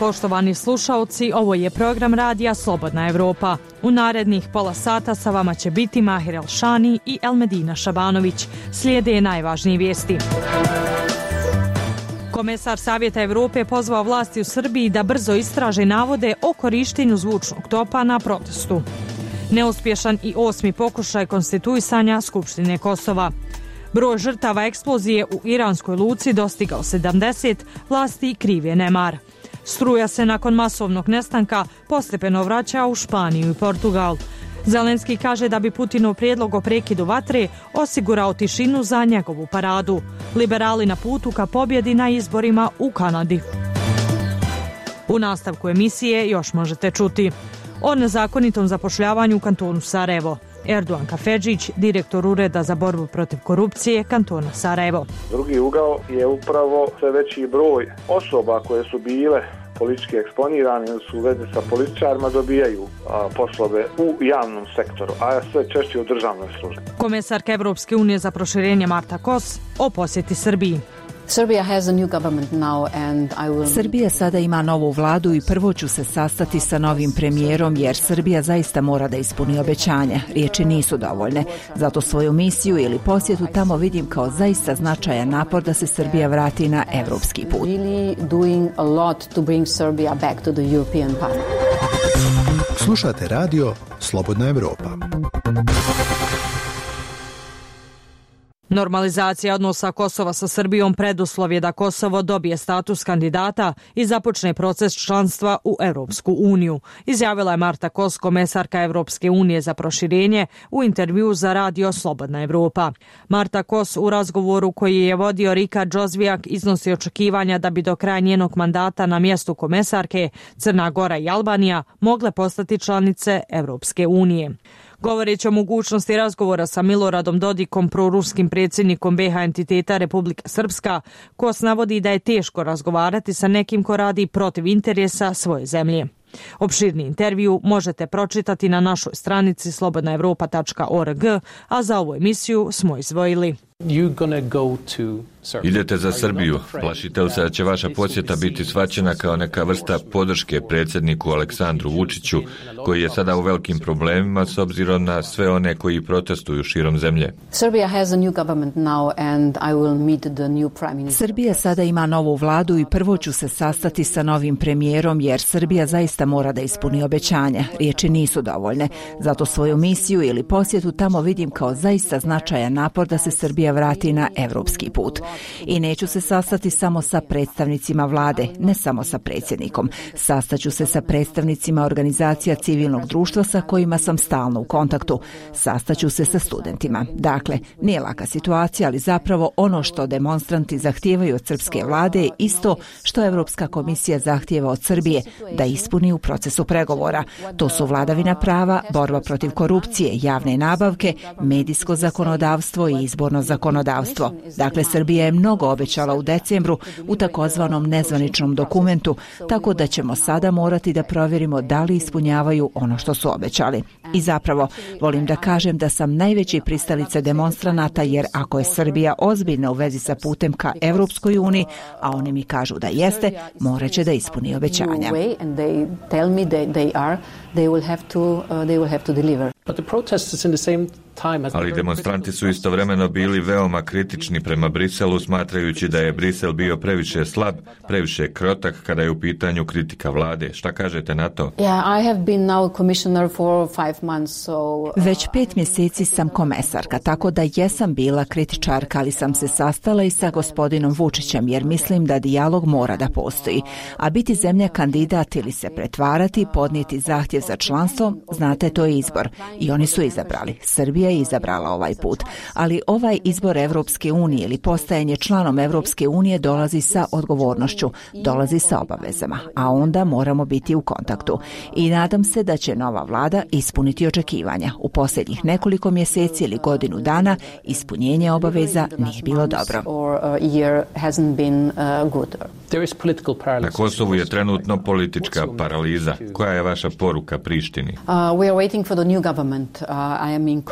poštovani slušaoci, ovo je program radija Slobodna Evropa. U narednih pola sata sa vama će biti Mahir Elšani i Elmedina Šabanović. Slijede najvažnije vijesti. Komesar Savjeta Evrope pozvao vlasti u Srbiji da brzo istraže navode o korištenju zvučnog topa na protestu. Neuspješan i 8. pokušaj konstituisanja Skupštine Kosova. Broj žrtava eksplozije u iranskoj luci dostigao 70, vlasti krive nemar. Struja se nakon masovnog nestanka postepeno vraća u Španiju i Portugal. Zelenski kaže da bi Putinov prijedlog o prekidu vatre osigurao tišinu za njegovu paradu. Liberali na putu ka pobjedi na izborima u Kanadi. U nastavku emisije još možete čuti o nezakonitom zapošljavanju u kantonu Sarajevo. Erdogan Kafedžić, direktor Ureda za borbu protiv korupcije kantona Sarajevo. Drugi ugao je upravo sve veći broj osoba koje su bile politički eksponirane ili su u vezi sa političarima dobijaju poslove u javnom sektoru, a sve češće u državnoj službi. Komesarka Evropske unije za proširenje Marta Kos o posjeti Srbiji. Srbija sada ima novu vladu i prvo ću se sastati sa novim premijerom jer Srbija zaista mora da ispuni obećanja. Riječi nisu dovoljne. Zato svoju misiju ili posjetu tamo vidim kao zaista značajan napor da se Srbija vrati na evropski put. Slušate radio Slobodna Evropa. Normalizacija odnosa Kosova sa Srbijom preduslov je da Kosovo dobije status kandidata i započne proces članstva u Evropsku uniju, izjavila je Marta Kos, komesarka Evropske unije za proširenje, u intervju za radio Slobodna Evropa. Marta Kos u razgovoru koji je vodio Rika Džozvijak iznosi očekivanja da bi do kraja njenog mandata na mjestu komesarke Crna Gora i Albanija mogle postati članice Evropske unije. Govoreći o mogućnosti razgovora sa Miloradom Dodikom, proruskim predsjednikom BiH entiteta Republika Srpska, Kos navodi da je teško razgovarati sa nekim ko radi protiv interesa svoje zemlje. Opširni intervju možete pročitati na našoj stranici slobodnaevropa.org, a za ovu emisiju smo izdvojili. Idete za Srbiju. Plašite li se da će vaša posjeta biti shvaćena kao neka vrsta podrške predsjedniku Aleksandru Vučiću, koji je sada u velikim problemima s obzirom na sve one koji protestuju širom zemlje? Srbija sada ima novu vladu i prvo ću se sastati sa novim premijerom jer Srbija zaista mora da ispuni obećanja. Riječi nisu dovoljne. Zato svoju misiju ili posjetu tamo vidim kao zaista značajan napor da se Srbija vrati na evropski put. I neću se sastati samo sa predstavnicima vlade, ne samo sa predsjednikom. Sastaću se sa predstavnicima organizacija civilnog društva sa kojima sam stalno u kontaktu. Sastaću se sa studentima. Dakle, nije laka situacija, ali zapravo ono što demonstranti zahtijevaju od srpske vlade je isto što Evropska komisija zahtijeva od Srbije da ispuni u procesu pregovora. To su vladavina prava, borba protiv korupcije, javne nabavke, medijsko zakonodavstvo i izborno zakonodavstvo. Dakle, Srbija je mnogo obećala u decembru u takozvanom nezvaničnom dokumentu, tako da ćemo sada morati da provjerimo da li ispunjavaju ono što su obećali. I zapravo, volim da kažem da sam najveći pristalica demonstranata jer ako je Srbija ozbiljna u vezi sa putem ka Evropskoj uniji, a oni mi kažu da jeste, morat će da ispuni obećanja. Ali demonstranti su istovremeno bili veoma kritični prema Briselu, smatrajući da je Brisel bio previše slab, previše krotak kada je u pitanju kritika vlade. Šta kažete na to? Već 5 mjeseci sam komesarka, tako da jesam bila kritičarka, ali sam se sastala i sa gospodinom Vučićem, jer mislim da dijalog mora da postoji. A biti zemlja kandidat ili se pretvarati, podnijeti zahtjev za članstvo, znate, to je izbor. I oni su izabrali. Srbija je izabrala ovaj put. Ali ovaj izbor Evropske unije ili postajanje članom Evropske unije dolazi sa odgovornošću, dolazi sa obavezama, a onda moramo biti u kontaktu. I nadam se da će nova vlada ispuniti očekivanja. U posljednjih nekoliko mjeseci ili godinu dana ispunjenje obaveza nije bilo dobro. Na Kosovu je trenutno politička paraliza. Koja je vaša poruka Prištini?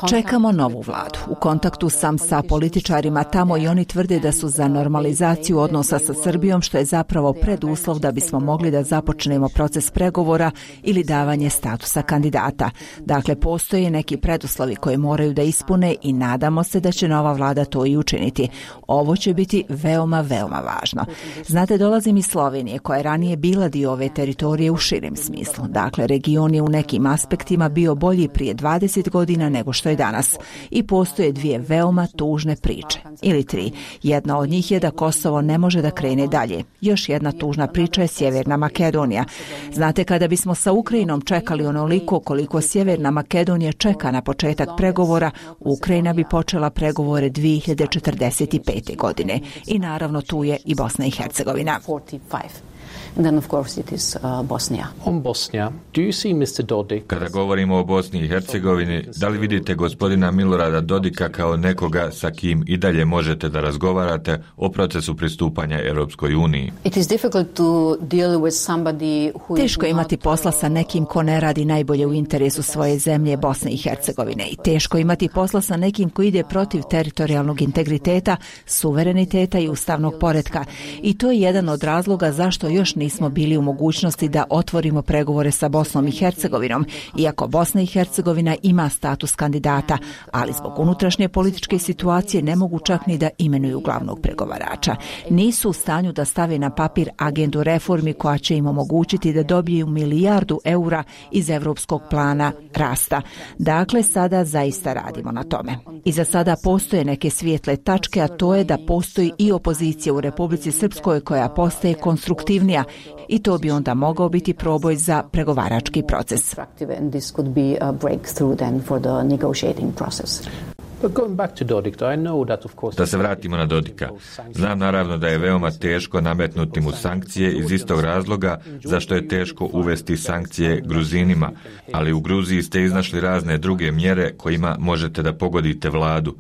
Čekamo novu vladu. U kontaktu sam sa političarima tamo i oni tvrde da su za normalizaciju odnosa sa Srbijom, što je zapravo preduslov da bismo mogli da započnemo proces pregovora ili davanje statusa kandidata. Dakle, postoje neki preduslovi koje moraju da ispune i nadamo se da će nova vlada to i učiniti. Ovo će biti veoma, veoma važno. Znate, dolazim iz Slovenije, koja je ranije bila dio ove teritorije u širem smislu. Dakle, region je u nekim aspektima bio bolji prije 20 godina nego što je danas. I postoje dvije veoma tužne priče. Ili tri. Jedna od njih je da Kosovo ne može da krene dalje. Još jedna tužna priča je Sjeverna Makedonija. Znate, kada bismo sa Ukrajinom čekali onoliko koliko Sjeverna Makedonija čeka na početak pregovora, Ukrajina bi počela pregovore 2045. godine. I naravno tu je i Bosna i Hercegovina. And then of course it is Bosnia. On Bosnia, do you see Mr. Dodik? Kada govorimo o Bosni i Hercegovini, da li vidite gospodina Milorada Dodika kao nekoga sa kim i dalje možete da razgovarate o procesu pristupanja Europskoj uniji? It is difficult to deal with somebody who Teško je imati posla sa nekim ko ne radi najbolje u interesu svoje zemlje Bosne i Hercegovine i teško je imati posla sa nekim ko ide protiv teritorijalnog integriteta, suvereniteta i ustavnog poretka. I to je jedan od razloga zašto još nismo bili u mogućnosti da otvorimo pregovore sa Bosnom i Hercegovinom, iako Bosna i Hercegovina ima status kandidata, ali zbog unutrašnje političke situacije ne mogu čak ni da imenuju glavnog pregovarača. Nisu u stanju da stave na papir agendu reformi koja će im omogućiti da dobiju milijardu eura iz Evropskog plana rasta. Dakle, sada zaista radimo na tome. I za sada postoje neke svijetle tačke, a to je da postoji i opozicija u Republici Srpskoj koja postaje konstruktivnija i to bi onda mogao biti proboj za pregovarački proces. Da se vratimo na Dodika. Znam naravno da je veoma teško nametnuti mu sankcije iz istog razloga zašto je teško uvesti sankcije Gruzinima, ali u Gruziji ste iznašli razne druge mjere kojima možete da pogodite vladu.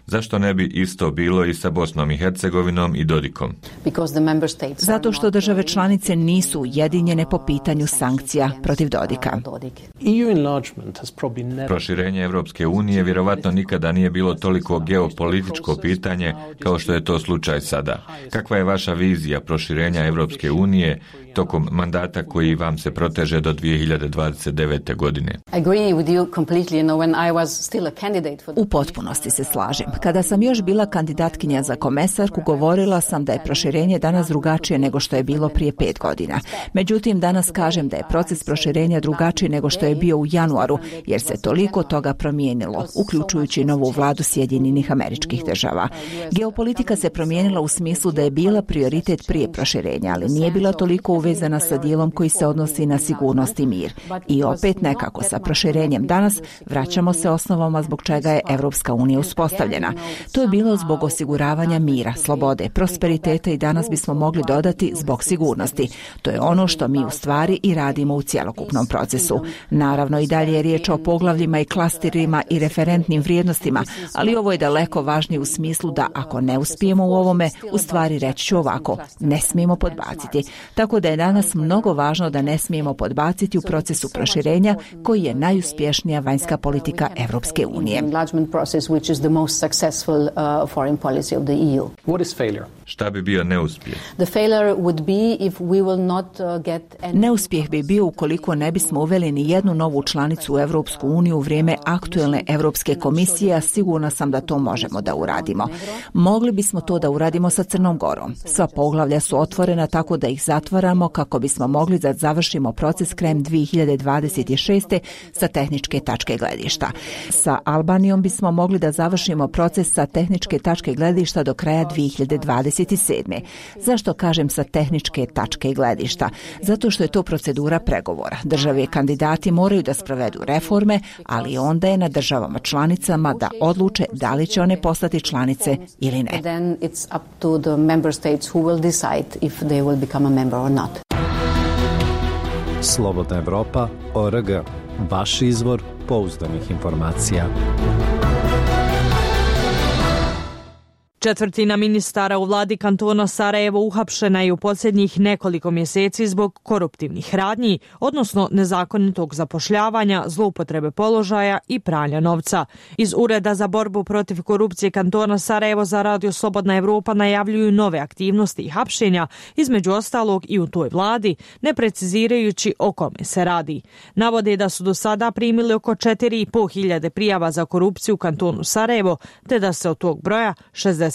Zašto ne bi isto bilo i sa Bosnom i Hercegovinom i Dodikom? Zato što države članice nisu ujedinjene po pitanju sankcija protiv Dodika. Proširenje Evropske unije vjerovatno nikada nije bilo toliko geopolitičko pitanje kao što je to slučaj sada. Kakva je vaša vizija proširenja Evropske unije tokom mandata koji vam se proteže do 2029. godine? U potpunosti se slažem. Kada sam još bila kandidatkinja za komesarku, govorila sam da je proširenje danas drugačije nego što je bilo prije 5 godina. Međutim, danas kažem da je proces proširenja drugačiji nego što je bio u januaru, jer se toliko toga promijenilo, uključujući novu vladu Sjedinjenih Američkih Država. Geopolitika se promijenila u smislu da je bila prioritet prije proširenja, ali nije bila toliko uvezana sa dijelom koji se odnosi na sigurnost i mir. I opet nekako sa proširenjem danas vraćamo se osnovama zbog čega je Evropska unija uspostavljena. To je bilo zbog osiguravanja mira, slobode, prosperiteta i danas bismo mogli dodati zbog sigurnosti. To je ono što mi u stvari i radimo u cjelokupnom procesu. Naravno i dalje je riječ o poglavljima i klasterima i referentnim vrijednostima, ali ovo je daleko važnije u smislu da ako ne uspijemo u ovome, u stvari reći ću ovako, ne smijemo podbaciti. Tako da je danas mnogo važno da ne smijemo podbaciti u procesu proširenja koji je najuspješnija vanjska politika Evropske unije. Šta bi bio neuspjeh? Neuspjeh bi bio ukoliko ne bismo uveli ni jednu novu članicu u Evropsku uniju u vrijeme aktuelne Europske komisije, a sigurna sam da to možemo da uradimo. Mogli bismo to da uradimo sa Crnom Gorom. Sva poglavlja su otvorena tako da ih zatvaramo kako bismo mogli da završimo proces krajem 2026. sa tehničke tačke gledišta. Sa Albanijom bismo mogli da završimo proces sa tehničke tačke gledišta do kraja 2027. Zašto kažem sa tehničke tačke gledišta? Zato što je to procedura pregovora. Države kandidati moraju da sprovedu reforme, ali onda je na državama članicama da odluče da li će one postati članice ili ne. Slobodna Evropa.org. Vaš izvor pouzdanih informacija. Četvrtina ministara u vladi kantona Sarajevo uhapšena je u posljednjih nekoliko mjeseci zbog koruptivnih radnji, odnosno nezakonitog zapošljavanja, zloupotrebe položaja i pranja novca. Iz Ureda za borbu protiv korupcije kantona Sarajevo za Radio Slobodna Evropa najavljuju nove aktivnosti i hapšenja, između ostalog i u toj vladi, ne precizirajući o kome se radi. Navode da su do sada primili oko 4.500 prijava za korupciju u kantonu Sarajevo, te da se od tog broja 60%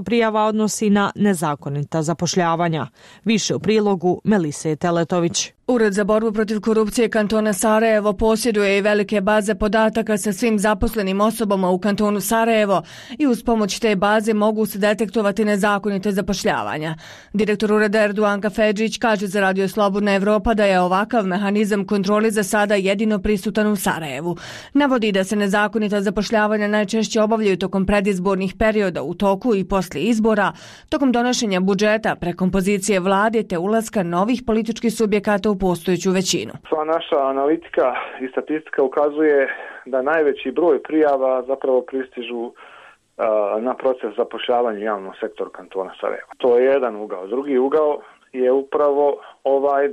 prijava odnosi na nezakonita zapošljavanja. Više u prilogu Melise Teletović. Ured za borbu protiv korupcije kantona Sarajevo posjeduje i velike baze podataka sa svim zaposlenim osobama u kantonu Sarajevo i uz pomoć te baze mogu se detektovati nezakonite zapošljavanja. Direktor ureda Erduan Kafedžić kaže za Radio Slobodna Evropa da je ovakav mehanizam kontrole za sada jedino prisutan u Sarajevu. Navodi da se nezakonita zapošljavanja najčešće obavljaju tokom predizbornih perioda u toku i poslije izbora, tokom donošenja budžeta, prekompozicije vlade te ulaska novih političkih subjekata u postojeću većinu. Sva naša analitika i statistika ukazuje da najveći broj prijava zapravo pristižu na proces zapošljavanja u javnom sektoru kantona Sarajeva. To je jedan ugao. Drugi ugao je upravo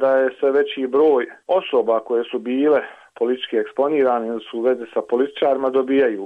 da je sve veći broj osoba koje su bile politički eksponirani ili su u vezi sa političarima dobijaju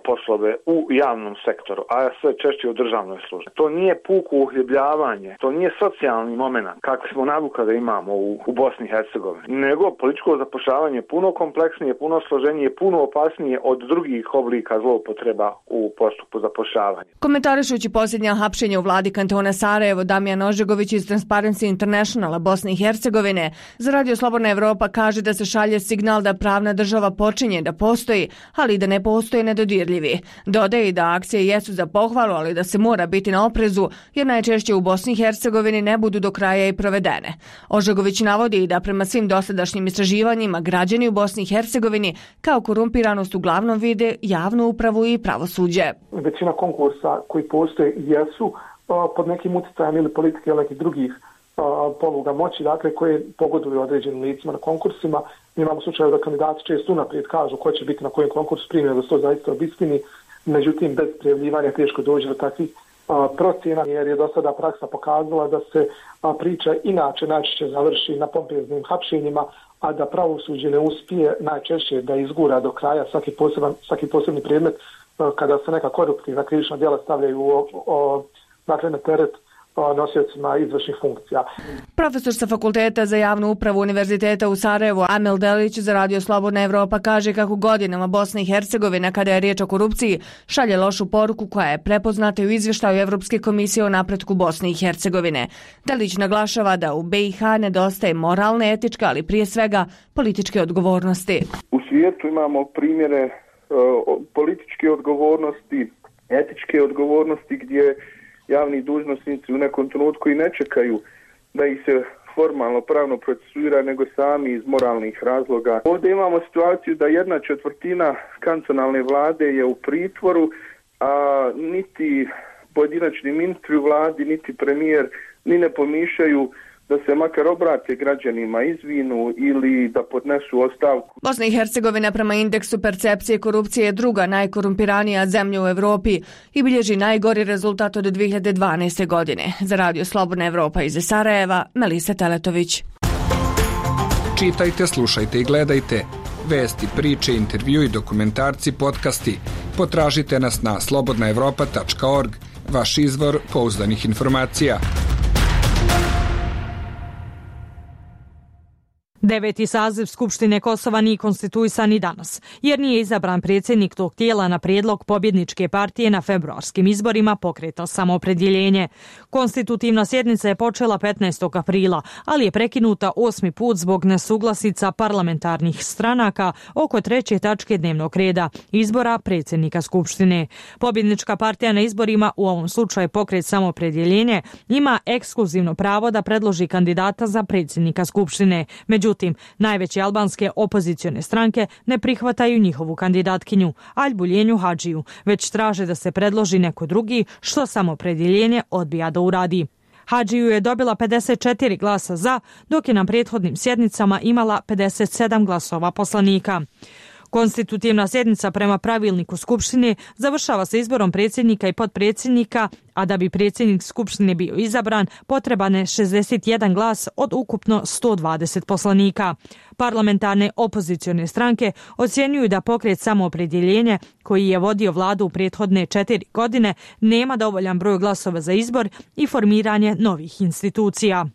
poslove u javnom sektoru, a sve češće u državnoj službi. To nije puko uhljebljavanje, to nije socijalni moment kakvi smo navuka da imamo u Bosni i Hercegovini, nego političko zapošljavanje je puno kompleksnije, puno složenije, puno opasnije od drugih oblika zloupotreba u postupku zapošljavanja. Komentarišući posljednja hapšenja u vladi kantona Sarajevo, Damijan Ožegović iz Transparency Internationala Bosne i Hercegovine za Radio Slobodna Evropa kaže da se šalje signal da pravna država počinje da postoji, ali da ne postoje nedodirljivi. Dodaje da akcije jesu za pohvalu, ali da se mora biti na oprezu, jer najčešće u Bosni i Hercegovini ne budu do kraja i provedene. Ožegović navodi da prema svim dosadašnjim istraživanjima građani u Bosni i Hercegovini kao korumpiranost uglavnom vide javnu upravu i pravosuđe. Većina konkursa koji postoje jesu pod nekim utjecajem ili politike ili nekih drugih poluga moći, dakle, koje pogoduju određenim licima na konkursima. Mi imamo slučaje da kandidati često unaprijed kažu ko će biti na kojem konkursu primjer, da se to zaista obistini, međutim bez prijavljivanja teško dođe do takvih procjena, jer je do sada praksa pokazala da se priča inače najčešće završi na pompeznim hapšenjima, a da pravosuđe ne uspije najčešće da izgura do kraja svaki posebni predmet kada se neka koruptivna krivična djela stavljaju na teret nosiocima izvršnih funkcija. Profesor sa Fakulteta za javnu upravu Univerziteta u Sarajevu Amel Delić za Radio Slobodna Evropa kaže kako godinama Bosna i Hercegovina, kada je riječ o korupciji, šalje lošu poruku koja je prepoznata u izvještaju Evropske komisije o napretku Bosne i Hercegovine. Delić naglašava da u BiH nedostaje moralne, etičke, ali prije svega političke odgovornosti. U svijetu imamo primjere političke odgovornosti, etičke odgovornosti gdje javni dužnosnici u nekom trenutku i ne čekaju da ih se formalno pravno procesuira, nego sami iz moralnih razloga. Ovdje imamo situaciju da 1/4 kantonalne vlade je u pritvoru, a niti pojedinačni ministri u vladi, niti premijer ni ne pomišljaju da se makar obrate građanima, izvinu ili da podnesu ostavku. Bosna i Hercegovina prema indeksu percepcije korupcije je druga najkorumpiranija zemlja u Evropi i bilježi najgori rezultat od 2012. godine. Za Radio Slobodna Evropa iz Sarajeva, Melisa Teletović. Čitajte, slušajte i gledajte vesti, priče, intervju i dokumentarci, podcasti. Potražite nas na slobodnaevropa.org, vaš izvor pouzdanih informacija. 9. saziv Skupštine Kosova nije konstituisan i danas, jer nije izabran predsjednik tog tijela na prijedlog pobjedničke partije na februarskim izborima Pokreta Samoopredjeljenje. Konstitutivna sjednica je počela 15. aprila, ali je prekinuta 8. put zbog nesuglasica parlamentarnih stranaka oko 3. tačke dnevnog reda, izbora predsjednika Skupštine. Pobjednička partija na izborima, u ovom slučaju Pokret Samoopredjeljenje, ima ekskluzivno pravo da predloži kandidata za predsjednika Skupštine. Međutim, najveće albanske opozicione stranke ne prihvataju njihovu kandidatkinju, Aljbuljenju Hadžiju, već traže da se predloži neko drugi, što Samoopredjeljenje odbija da uradi. Hadžiju je dobila 54 glasa za, dok je na prethodnim sjednicama imala 57 glasova poslanika. Konstitutivna sjednica prema pravilniku Skupštine završava se izborom predsjednika i potpredsjednika, a da bi predsjednik Skupštine bio izabran, potreban je 61 glas od ukupno 120 poslanika. Parlamentarne opozicione stranke ocjenjuju da pokret Samoopredjeljenje, koji je vodio vladu u prethodne 4 godine, nema dovoljan broj glasova za izbor i formiranje novih institucija.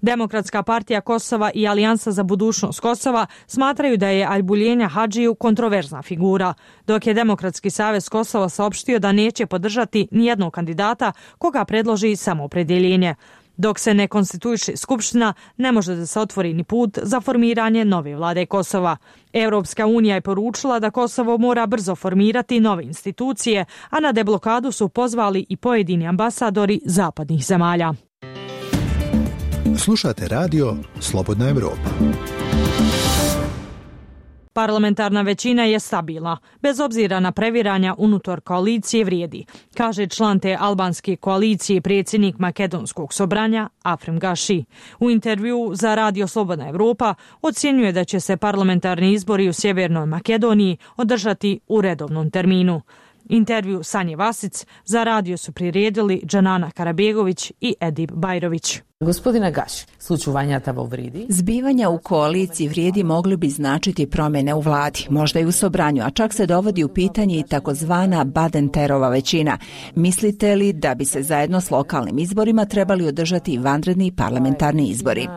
Demokratska partija Kosova i Alijansa za budućnost Kosova smatraju da je Albuljenja Hadžiju kontroverzna figura, dok je Demokratski savez Kosova saopštio da neće podržati nijednog kandidata koga predloži Samoopredjeljenje. Dok se ne konstituiše Skupština, ne može da se otvori ni put za formiranje nove vlade Kosova. Europska unija je poručila da Kosovo mora brzo formirati nove institucije, a na deblokadu su pozvali i pojedini ambasadori zapadnih zemalja. Slušate radio Slobodna Evropa. Parlamentarna većina je stabilna, bez obzira na previranja unutar koalicije vrijedi, kaže član te albanske koalicije predsjednik Makedonskog sobranja Afrim Gaši. U intervju za radio Slobodna Evropa ocjenjuje da će se parlamentarni izbori u Sjevernoj Makedoniji održati u redovnom terminu. Intervju Sanje Vasic za radio su priredili Džanana Karabegović i Edip Bajrović. Gospodine Gaši, slučuvanjata vo Vridi. Zbivanja u koaliciji Vrijedi mogli bi značiti promjene u vladi, možda i u sobranju, a čak se dovodi u pitanje i takozvana Badenterova većina. Mislite li da bi se zajedno s lokalnim izborima trebali održati i vanredni parlamentarni izbori?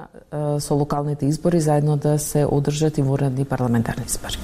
So lokalni izbori zajedno da se održati vanredni parlamentarni izbori.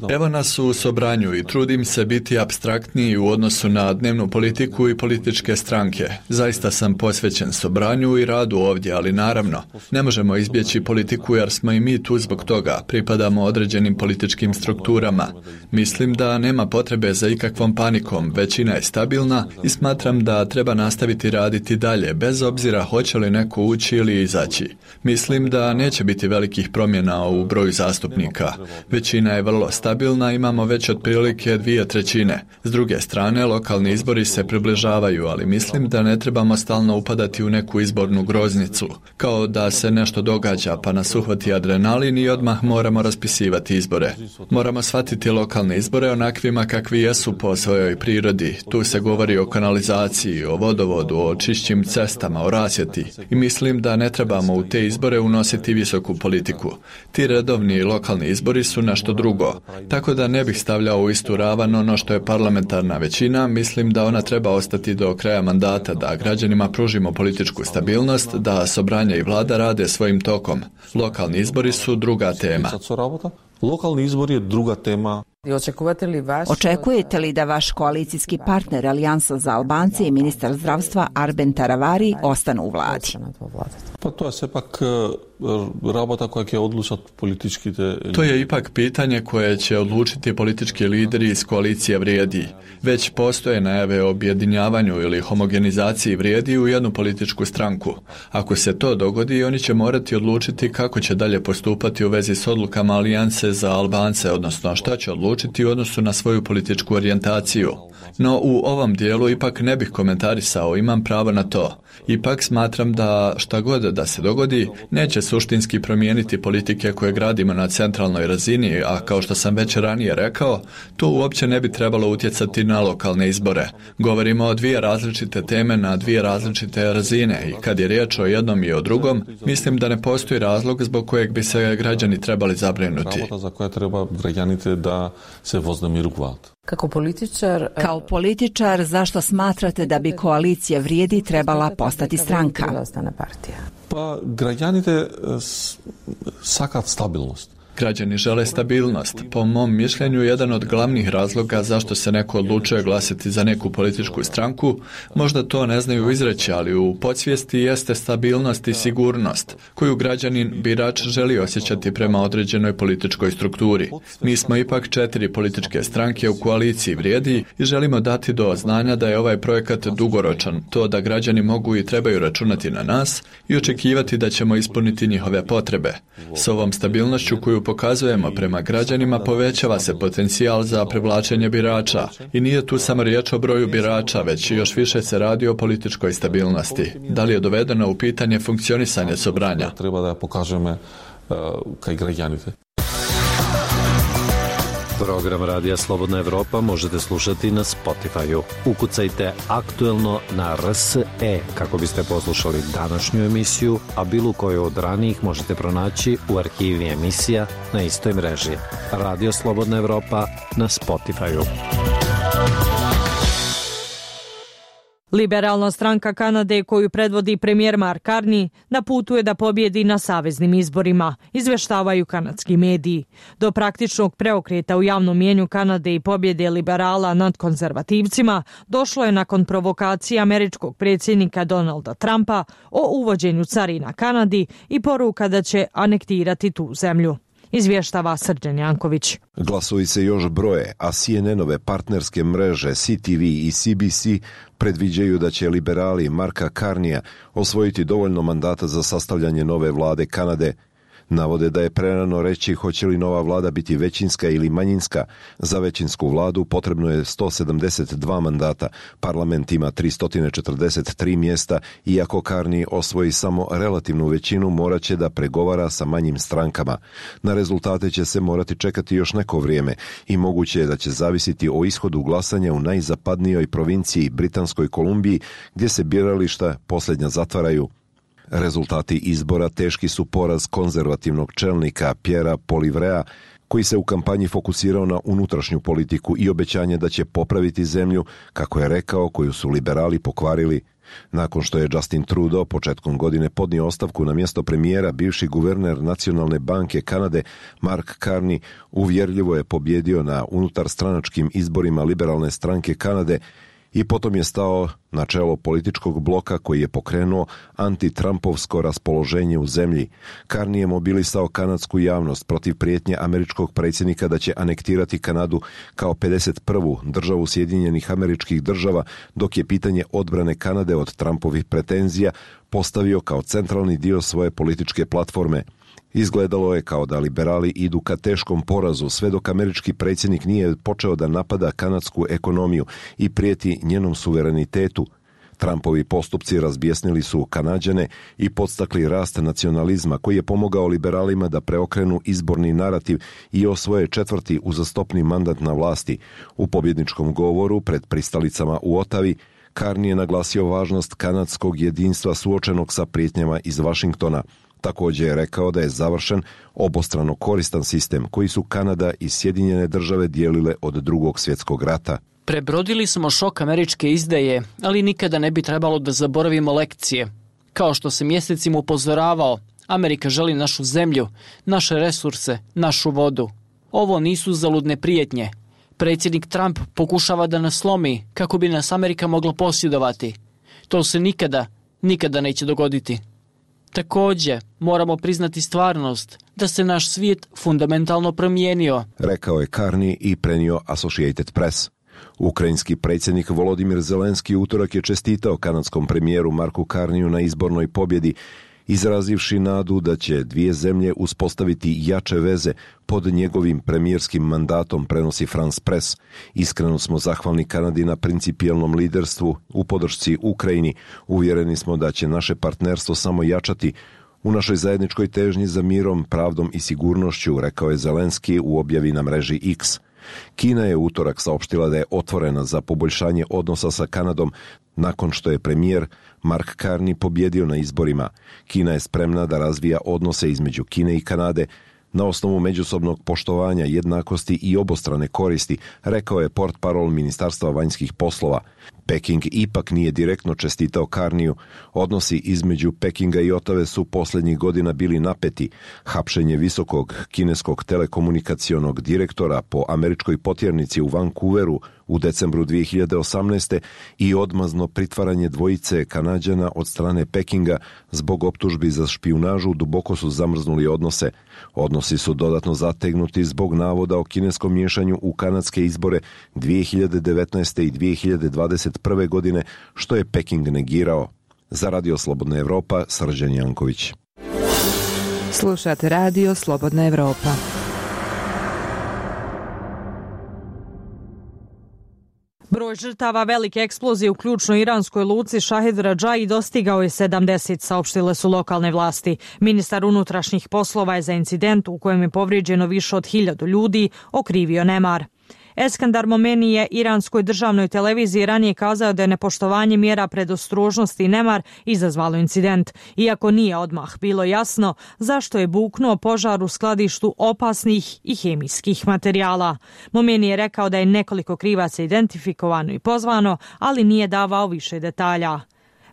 Evo nas u sobranju i trudim se biti apstraktniji u odnosu na dnevnu politiku i političke stranke. Zaista sam posvećen sobranju i radu ovdje, ali naravno, ne možemo izbjeći politiku jer smo i mi tu zbog toga, pripadamo određenim političkim strukturama. Mislim da nema potrebe za ikakvom panikom, većina je stabilna i smatram da treba nastaviti raditi dalje, bez obzira hoće li neko ući ili izaći. Mislim da neće biti velikih promjena u broju zastupnika. Većina je vrlo stabilna, imamo već otprilike 2/3. S druge strane, lokalni izbori se približavaju, ali mislim da ne trebamo stalno upadati u neku izbornu groznicu, kao da se nešto događa pa nas uhvati adrenalin i odmah moramo raspisivati izbore. Moramo shvatiti lokalne izbore onakvima kakvi jesu po svojoj prirodi. Tu se govori o kanalizaciji, o vodovodu, o čišćim cestama, o rasvjeti i mislim da ne trebamo u te izbore unositi visoku politiku. Ti redovni lokalni izbori su nešto drugo, tako da ne bih stavljao u istu ravan ono što je parlamentarna većina. Mislim da ona treba ostati do kraja mandata, da građanima pružimo političku stabilnost, da sobranje i vlada rade svojim tokom. Lokalni izbori su druga tema. Lokalni izbor je druga tema. Očekujete li da vaš koalicijski partner Alijansa za Albance i ministar zdravstva Arben Taravari ostanu u vladi? Pa to je sepak rabota koja će odlučati politički. To je ipak pitanje koje će odlučiti politički lideri iz koalicije Vrijedi. Već postoje najave o objedinjavanju ili homogenizaciji Vrijedi u jednu političku stranku. Ako se to dogodi, oni će morati odlučiti kako će dalje postupati u vezi s odlukama Alijanse za Albance, odnosno šta će odlučiti u odnosu na svoju političku orijentaciju. No u ovom dijelu ipak ne bih komentarisao, imam pravo na to. Ipak smatram da šta god da se dogodi, neće suštinski promijeniti politike koje gradimo na centralnoj razini, a kao što sam već ranije rekao, to uopće ne bi trebalo utjecati na lokalne izbore. Govorimo o dvije različite teme na dvije različite razine i kad je riječ o jednom i o drugom, mislim da ne postoji razlog zbog kojeg bi se građani trebali zabrinuti. Za koja treba građani da se voznemiru. Kao političar, zašto smatrate da bi koalicija Vrijedi trebala postati stranka? Pa građanite sakav stabilnost. Građani žele stabilnost. Po mom mišljenju, jedan od glavnih razloga zašto se neko odlučuje glasati za neku političku stranku, možda to ne znaju izreći, ali u podsvijesti jeste stabilnost i sigurnost, koju građanin birač želi osjećati prema određenoj političkoj strukturi. Mi smo ipak 4 političke stranke u koaliciji Vrijedi i želimo dati do znanja da je ovaj projekat dugoročan, to da građani mogu i trebaju računati na nas i očekivati da ćemo ispuniti njihove potrebe. S ovom stabilnošću koju pokazujemo prema građanima povećava se potencijal za privlačenje birača i nije tu samo riječ o broju birača, već još više se radi o političkoj stabilnosti. Da li je dovedeno u pitanje funkcionisanje sobranja? Treba da pokažeme kaj građanite. Program Radija Slobodna Evropa možete slušati na Spotify-u. Ukucajte Aktuelno na RSE kako biste poslušali današnju emisiju, a bilo koju od ranijih možete pronaći u arhivi emisija na istoj mreži. Radio Slobodna Evropa na Spotify-u. Liberalna stranka Kanade, koju predvodi premijer Mark Carney, na putu je da pobjedi na saveznim izborima, izveštavaju kanadski mediji. Do praktičnog preokreta u javnom mjenju Kanade i pobjede liberala nad konzervativcima došlo je nakon provokacije američkog predsjednika Donalda Trumpa o uvođenju carina Kanadi i poruka da će anektirati tu zemlju. Izvještava Srđan Janković. Glasovi se još broje, a CNN-ove partnerske mreže CTV i CBC predviđaju da će liberali Marka Carneya osvojiti dovoljno mandata za sastavljanje nove vlade Kanade. Navode da je prerano reći hoće li nova vlada biti većinska ili manjinska. Za većinsku vladu potrebno je 172 mandata. Parlament ima 343 mjesta, iako Carney osvoji samo relativnu većinu, morat će da pregovara sa manjim strankama. Na rezultate će se morati čekati još neko vrijeme i moguće je da će zavisiti o ishodu glasanja u najzapadnijoj provinciji Britanskoj Kolumbiji, gdje se birališta posljednja zatvaraju. Rezultati izbora teški su poraz konzervativnog čelnika Pierrea Poilievrea, koji se u kampanji fokusirao na unutrašnju politiku i obećanje da će popraviti zemlju, kako je rekao, koju su liberali pokvarili. Nakon što je Justin Trudeau početkom godine podnio ostavku na mjesto premijera, bivši guverner Nacionalne banke Kanade Mark Carney uvjerljivo je pobjedio na unutarstranačkim izborima liberalne stranke Kanade i potom je stao na čelo političkog bloka koji je pokrenuo anti-Trumpovsko raspoloženje u zemlji. Carney je mobilisao kanadsku javnost protiv prijetnje američkog predsjednika da će anektirati Kanadu kao 51. državu Sjedinjenih Američkih Država, dok je pitanje odbrane Kanade od Trumpovih pretenzija postavio kao centralni dio svoje političke platforme. Izgledalo je kao da liberali idu ka teškom porazu sve dok američki predsjednik nije počeo da napada kanadsku ekonomiju i prijeti njenom suverenitetu. Trumpovi postupci razbjesnili su Kanađane i podstakli rast nacionalizma koji je pomogao liberalima da preokrenu izborni narativ i osvoje 4. uzastopni mandat na vlasti. U pobjedničkom govoru pred pristalicama u Otavi Carney je naglasio važnost kanadskog jedinstva suočenog sa prijetnjama iz Vašingtona. Također je rekao da je završen obostrano koristan sistem koji su Kanada i Sjedinjene Države dijelile od Drugog svjetskog rata. Prebrodili smo šok američke izdaje, ali nikada ne bi trebalo da zaboravimo lekcije. Kao što se mjesecima upozoravao, Amerika želi našu zemlju, naše resurse, našu vodu. Ovo nisu zaludne prijetnje. Predsjednik Trump pokušava da nas slomi kako bi nas Amerika mogla posjedovati. To se nikada neće dogoditi. Također, moramo priznati stvarnost da se naš svijet fundamentalno promijenio, rekao je Carney i prenio Associated Press. Ukrajinski predsjednik Volodimir Zelenski utorak je čestitao kanadskom premijeru Marku Carneyu na izbornoj pobjedi, izrazivši nadu da će dvije zemlje uspostaviti jače veze pod njegovim premijerskim mandatom, prenosi France Press. Iskreno smo zahvalni Kanadi na principijelnom liderstvu u podršci Ukrajini. Uvjereni smo da će naše partnerstvo samo jačati u našoj zajedničkoj težnji za mirom, pravdom i sigurnošću, rekao je Zelenski u objavi na mreži X. Kina je utorak saopštila da je otvorena za poboljšanje odnosa sa Kanadom nakon što je premijer Mark Carney pobjedio na izborima. Kina je spremna da razvija odnose između Kine i Kanade na osnovu međusobnog poštovanja, jednakosti i obostrane koristi, rekao je portparol Ministarstva vanjskih poslova. Peking ipak nije direktno čestitao Carneyu. Odnosi između Pekinga i Otave su posljednjih godina bili napeti. Hapšenje visokog kineskog telekomunikacionog direktora po američkoj potjernici u Vancouveru u decembru 2018. i odmazno pritvaranje dvojice Kanađana od strane Pekinga zbog optužbi za špijunažu duboko su zamrznuli odnose. Odnosi su dodatno zategnuti zbog navoda o kineskom miješanju u kanadske izbore 2019. i 2021. godine, što je Peking negirao. Za Radio Slobodna Evropa, Srđan Janković. Slušate Radio Slobodna Evropa. Broj žrtava velike eksplozije u ključnoj iranskoj luci Šahid Radžai dostigao je 70, saopštile su lokalne vlasti. Ministar unutrašnjih poslova je za incident u kojem je povrijeđeno više od 1000 ljudi okrivio nemar. Eskandar Momeni je iranskoj državnoj televiziji ranije kazao da je nepoštovanje mjera predostrožnosti i nemar izazvalo incident, iako nije odmah bilo jasno zašto je buknuo požar u skladištu opasnih i hemijskih materijala. Momeni je rekao da je nekoliko krivaca identifikovano i pozvano, ali nije davao više detalja.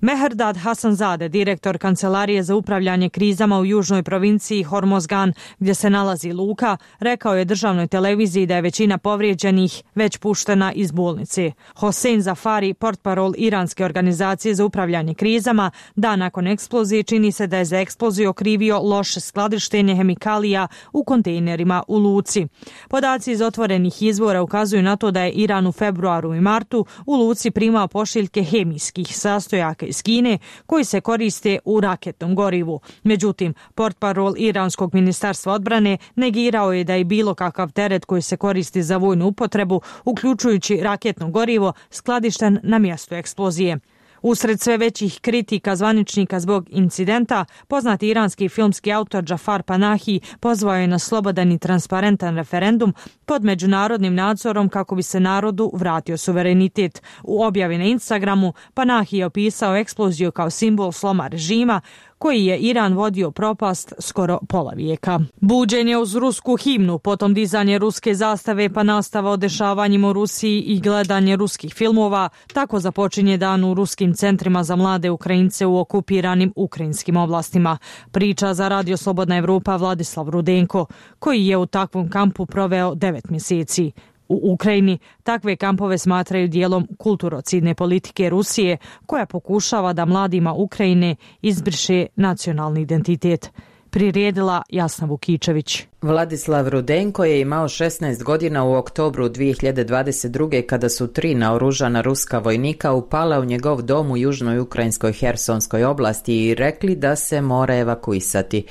Mehrdad Hasanzade, direktor Kancelarije za upravljanje krizama u južnoj provinciji Hormozgan, gdje se nalazi luka, rekao je državnoj televiziji da je većina povrijeđenih već puštena iz bolnice. Hossein Zafari, portparol iranske organizacije za upravljanje krizama, dan nakon eksplozije čini se da je za eksploziju okrivio loše skladištenje hemikalija u kontejnerima u luci. Podaci iz otvorenih izvora ukazuju na to da je Iran u februaru i martu u luci primao pošiljke hemijskih sastojaka iz Kine koji se koriste u raketnom gorivu. Međutim, portparol iranskog ministarstva odbrane negirao je da je bilo kakav teret koji se koristi za vojnu upotrebu, uključujući raketno gorivo, skladišten na mjestu eksplozije. Usred sve većih kritika zvaničnika zbog incidenta, poznati iranski filmski autor Džafar Panahi pozvao je na slobodan i transparentan referendum pod međunarodnim nadzorom kako bi se narodu vratio suverenitet. U objavi na Instagramu Panahi je opisao eksploziju kao simbol sloma režima koji je Iran vodio propast skoro pola vijeka. Buđenje uz rusku himnu, potom dizanje ruske zastave pa nastava o dešavanjima u Rusiji i gledanje ruskih filmova, tako započinje dan u ruskim centrima za mlade Ukrajince u okupiranim ukrajinskim oblastima. Priča za Radio Slobodna Evropa Vladislav Rudenko, koji je u takvom kampu proveo 9 mjeseci. U Ukrajini takve kampove smatraju dijelom kulturocidne politike Rusije koja pokušava da mladima Ukrajine izbriše nacionalni identitet. Priredila Jasna Vukičević. Vladislav Rudenko je imao 16 godina u oktobru 2022. kada su 3 naoružana ruska vojnika upala u njegov dom u južnoj ukrajinskoj Hersonskoj oblasti i rekli da se mora evakuisati.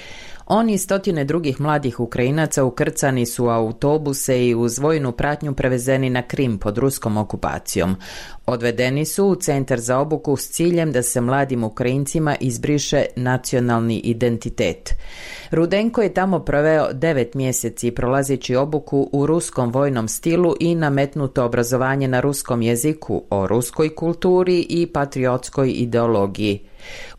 On i stotine drugih mladih Ukrajinaca ukrcani su u autobuse i uz vojnu pratnju prevezeni na Krim pod ruskom okupacijom. Odvedeni su u centar za obuku s ciljem da se mladim Ukrajincima izbriše nacionalni identitet. Rudenko je tamo proveo 9 mjeseci prolazeći obuku u ruskom vojnom stilu i nametnuto obrazovanje na ruskom jeziku o ruskoj kulturi i patriotskoj ideologiji.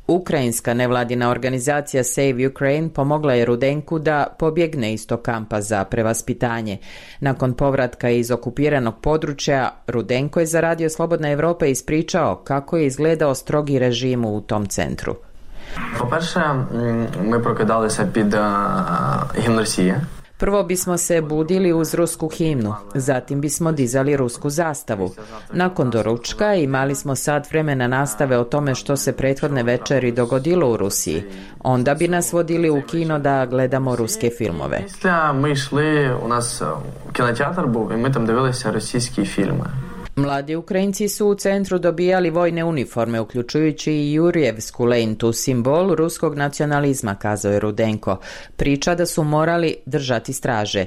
Ukrajinska nevladina organizacija Save Ukraine pomogla je Rudenku da pobjegne iz tog kampa za prevaspitanje. Nakon povratka iz okupiranog područja, Rudenko je za Radio Slobodna Evropa ispričao kako je izgledao strogi režim u tom centru. По-перше, ми прокидалися під гімн Росії. Prvo bismo se budili uz rusku himnu, zatim bismo dizali rusku zastavu. Nakon doručka imali smo sat vremena nastave o tome što se prethodne večeri dogodilo u Rusiji. Onda bi nas vodili u kino da gledamo ruske filmove. Ми йшли, у нас кінотеатр був, і ми там дивилися російські фільми. Mladi Ukrajinci su u centru dobijali vojne uniforme, uključujući i Jurjevsku lentu, simbol ruskog nacionalizma, kazao je Rudenko. Priča da su morali držati straže.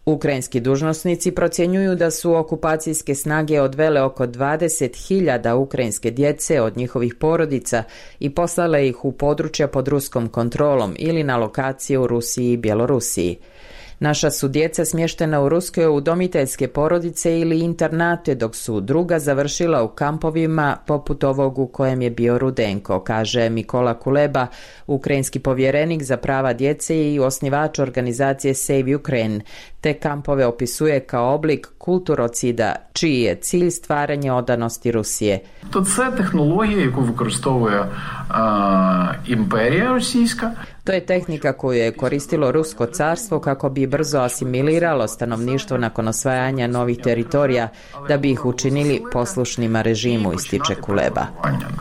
Ukrajinski dužnosnici procjenjuju da su okupacijske snage odvele oko 20.000 ukrajinske djece od njihovih porodica i poslale ih u područja pod ruskom kontrolom ili na lokacije u Rusiji i Bjelorusiji. Naša su djeca smještena u ruske udomiteljske porodice ili internate, dok su druga završila u kampovima poput ovog u kojem je bio Rudenko, kaže Mikola Kuleba, ukrajinski povjerenik za prava djece i osnivač organizacije Save Ukraine. Te kampove opisuje kao oblik kulturocida, čiji je cilj stvaranje odanosti Rusije. To je tehnologija яку використовує імперія російська. To je tehnika koju je koristilo Rusko carstvo kako bi brzo asimiliralo stanovništvo nakon osvajanja novih teritorija, da bi ih učinili poslušnima režimu, ističe Kuleba.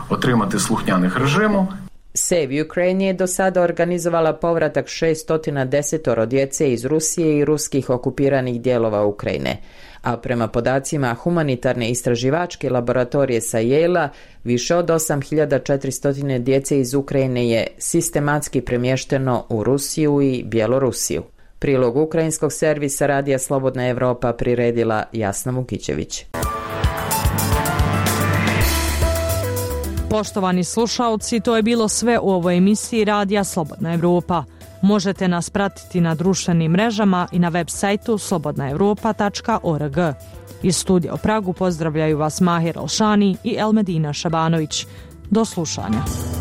Отримати слухняних режиму. Save Ukraine je do sada organizovala povratak 610 djece iz Rusije i ruskih okupiranih dijelova Ukrajine. A prema podacima humanitarne istraživačke laboratorije sa Yale-a, više od 8400 djece iz Ukrajine je sistematski premješteno u Rusiju i Bjelorusiju. Prilog ukrajinskog servisa Radija Slobodna Evropa priredila Jasna Vukičević. Poštovani slušaoci, to je bilo sve u ovoj emisiji Radija Slobodna Evropa. Možete nas pratiti na društvenim mrežama i na web sajtu slobodnaevropa.org. Iz studija u Pragu pozdravljaju vas Mahir Alšani i Elmedina Šabanović. Do slušanja.